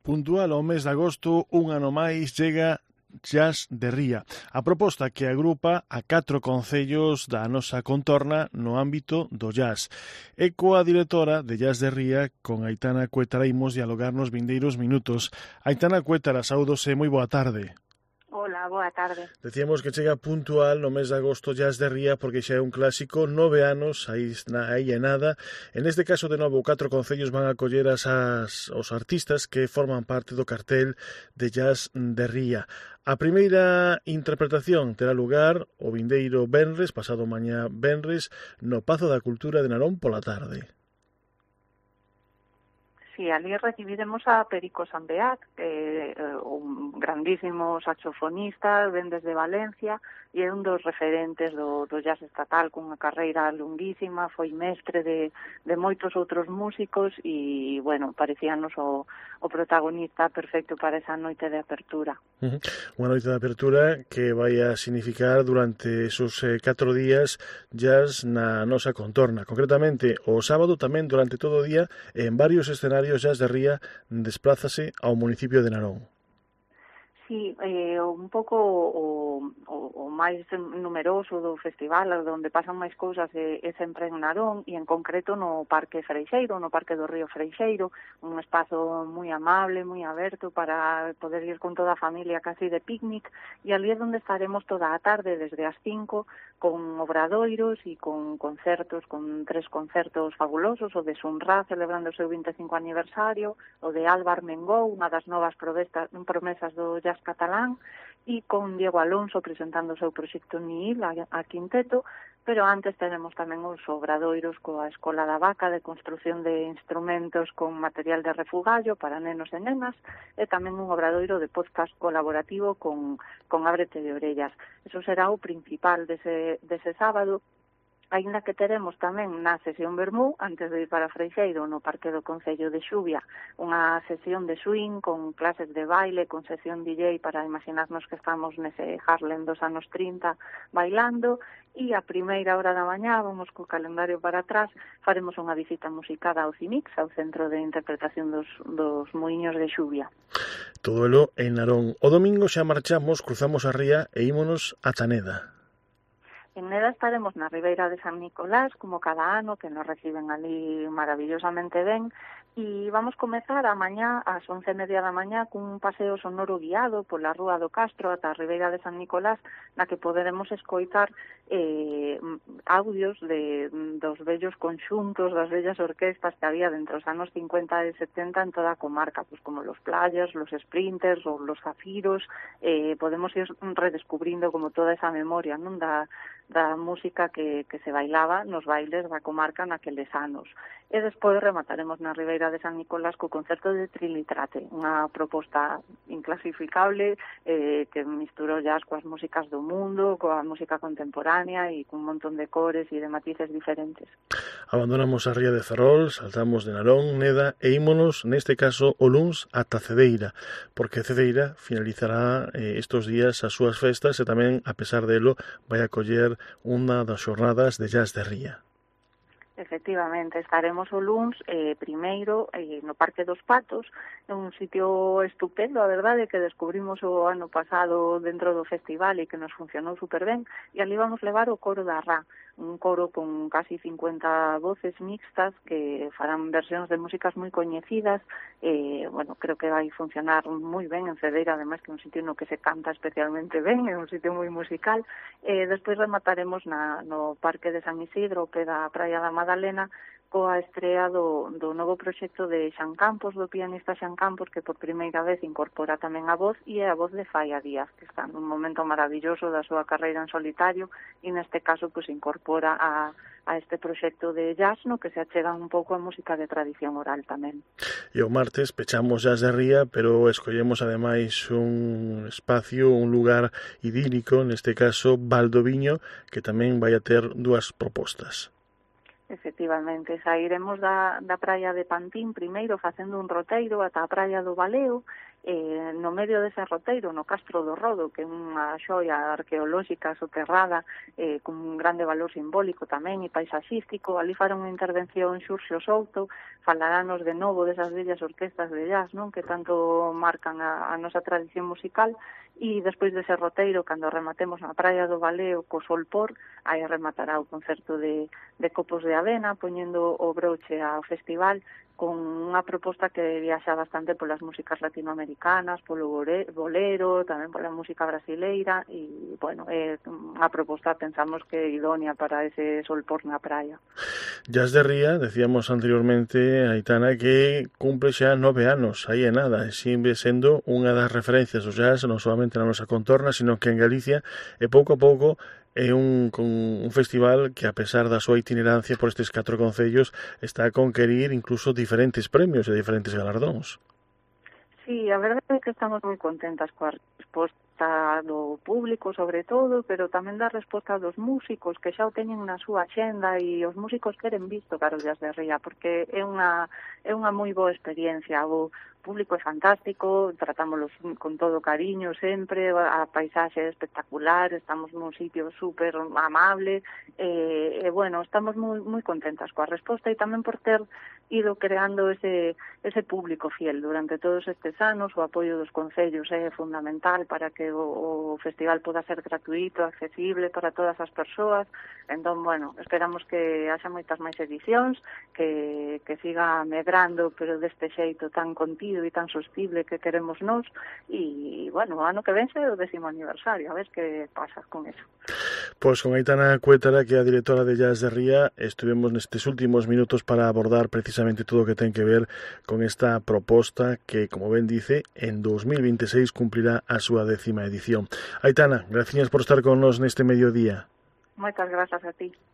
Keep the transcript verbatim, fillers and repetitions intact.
Puntual ao mes de agosto, un ano máis chega Jazz de Ría, a proposta que agrupa a catro concellos da nosa contorna no ámbito do jazz. E coa directora de Jazz de Ría, con Aitana Cuétara, imos dialogar nos vindeiros minutos. Aitana Cuétara, saúdose, moi boa tarde. Hola, boa tarde. Decíamos que chega puntual no mes de agosto Jazz de Ría porque xa é un clásico, nove anos, aí, aí é nada. En este caso, de novo, catro concellos van a acoller as, as, os artistas que forman parte do cartel de Jazz de Ría. A primeira interpretación terá lugar o vindeiro venres, pasado mañá venres, no Pazo da Cultura de Narón pola tarde. Sí, ali recibiremos a Perico Sambeat, que é un grandísimo saxofonista, ven desde Valencia, e é un dos referentes do, do jazz estatal, cunha carreira longuísima, foi mestre de, de moitos outros músicos, e, bueno, parecíanos o, o protagonista perfecto para esa noite de apertura. Uh-huh. Unha noite de apertura que vai a significar durante esos eh, catro días jazz na nosa contorna. Concretamente, o sábado tamén durante todo o día, en varios escenarios Jazz de Ría desplázase ao municipio de Narón. Sí, eh, un pouco o, o, o máis numeroso do festival, onde pasan máis cousas, é, é sempre en Narón, e en concreto no Parque Freixeiro, no Parque do Río Freixeiro, un espazo moi amable, moi aberto para poder ir con toda a familia casi de picnic, e ali é onde estaremos toda a tarde, desde as cinco, con obradoiros e con concertos, con tres concertos fabulosos, o de Sunra, celebrando o seu vinte e cinco aniversario, o de Álvar Mengou, unha das novas promesas do jazz catalán, e con Diego Alonso presentando o seu proxecto Nihil a, a quinteto, pero antes tenemos tamén os obradoiros coa Escola da Vaca de construción de instrumentos con material de refugallo para nenos e nenas, e tamén un obradoiro de podcast colaborativo con, con Ábrete de Orellas. Eso será o principal dese, dese sábado, aínda que teremos tamén na sesión Vermú, antes de ir para Freixeiro, no Parque do Concello de Xuvia, unha sesión de swing con clases de baile, con sesión D J para imaginarnos que estamos nese Harlem dos anos trinta bailando, e a primeira hora da mañá, vamos co calendario para atrás, faremos unha visita musicada ao CIMIX, ao Centro de Interpretación dos, dos Muiños de Xuvia. Todo elo en Narón. O domingo xa marchamos, cruzamos a ría e ímonos a Taneda. En Neda estaremos na Ribeira de San Nicolás, como cada ano, que nos reciben ali maravillosamente ben, e vamos comezar a mañá, ás once e media da mañá, cun paseo sonoro guiado pola Rúa do Castro ata a Ribeira de San Nicolás, na que poderemos escoitar eh, audios de, dos bellos conxuntos, das bellas orquestas que había dentro dos anos cincuenta e setenta en toda a comarca, pues como los Playas, los Sprinters ou los Zafiros, eh, podemos ir redescubrindo como toda esa memoria, non, da da música que, que se bailaba nos bailes da comarca naqueles anos. E despois remataremos na Ribeira de San Nicolás co concerto de Trilitrate, unha proposta inclasificable eh, que misturou jazz coas músicas do mundo, coa música contemporánea e cun montón de cores e de matices diferentes. Abandonamos a ría de Ferrol, saltamos de Narón, Neda e ímonos, neste caso, o luns ata Cedeira, porque Cedeira finalizará eh, estos días as súas festas e tamén, a pesar delo, vai acoller unha das xornadas de Jazz de Ría. Efectivamente, estaremos o luns eh, primeiro eh, no Parque dos Patos, un sitio estupendo, a verdade, que descubrimos o ano pasado dentro do festival e que nos funcionou super ben, e ali vamos levar o coro da Rá, un coro con casi cincuenta voces mixtas que farán versións de músicas moi coñecidas, eh, bueno, creo que vai funcionar moi ben en Cedeira, ademais que é un sitio no que se canta especialmente ben, é un sitio moi musical. Eh, despois remataremos na, no Parque de San Isidro, que da Praia da Madalena, coa estrea do, do novo proxecto de Xan Campos, do pianista Xan Campos, que por primeira vez incorpora tamén a voz, e é a voz de Faia Díaz, que está nun momento maravilloso da súa carreira en solitario, e neste caso pues, incorpora a, a este proxecto de jazz, no que se achega un pouco a música de tradición oral tamén. E o martes pechamos Jazz de Ría, pero escollemos ademais un espacio, un lugar idílico, neste caso Valdoviño, que tamén vai a ter dúas propostas. Efectivamente, sairemos da, da praia de Pantín primeiro facendo un roteiro ata a praia do Baleo eh, no medio dese roteiro, no Castro do Rodo, que é unha xoia arqueolóxica soterrada, eh, con un grande valor simbólico tamén e paisaxístico. Ali fará unha intervención Xurxo Souto, falarános de novo desas bellas orquestas de jazz, non, que tanto marcan a, a nosa tradición musical. E despois dese roteiro, cando rematemos na Praia do Valeo co sol por, aí rematará o concerto de, de Copos de Avena, poñendo o broche ao festival con unha proposta que viaxa bastante polas músicas latinoamericanas, polo bolero, tamén pola música brasileira, e, bueno, é unha proposta, pensamos que é idónea para ese sol por na praia. Jazz de Ría, decíamos anteriormente, Aitana, que cumple xa nove anos, aí é nada, e sigue sendo unha das referencias do jazz, non solamente na nosa contorna, sino que en Galicia, e pouco a pouco, é un, un festival que, a pesar da súa itinerancia por estes catro concellos, está a conquerir incluso diferentes premios e diferentes galardóns. Sí, a verdade é que estamos moi contentas coa resposta do público, sobre todo, pero tamén da resposta dos músicos, que xa o teñen na súa axenda, e os músicos queren visto Caro Jazz de Ría, porque é unha, é unha moi boa experiencia. O público é fantástico, tratámoslos con todo cariño sempre, a paisaxe é espectacular, estamos nun sitio super amable, e, e bueno, estamos moi moi contentas coa resposta, e tamén por ter ido creando ese ese público fiel durante todos estes anos. O apoio dos concellos é fundamental para que o, o festival poda ser gratuito, accesible para todas as persoas. Entón, bueno, esperamos que haxa moitas máis edicións, que, que siga medrando, pero deste xeito tan continuo e tan sostible que queremos nós, e, bueno, o ano que vence o décimo aniversario, a ver que pasa con eso. Pois con Aitana Cuétara, que é a directora de Jazz de Ría, estuvemos nestes últimos minutos para abordar precisamente todo o que ten que ver con esta proposta que, como ben dice, en dos mil veintiséis cumplirá a súa décima edición. Aitana, gracias por estar con nos neste mediodía. Moitas grazas a ti.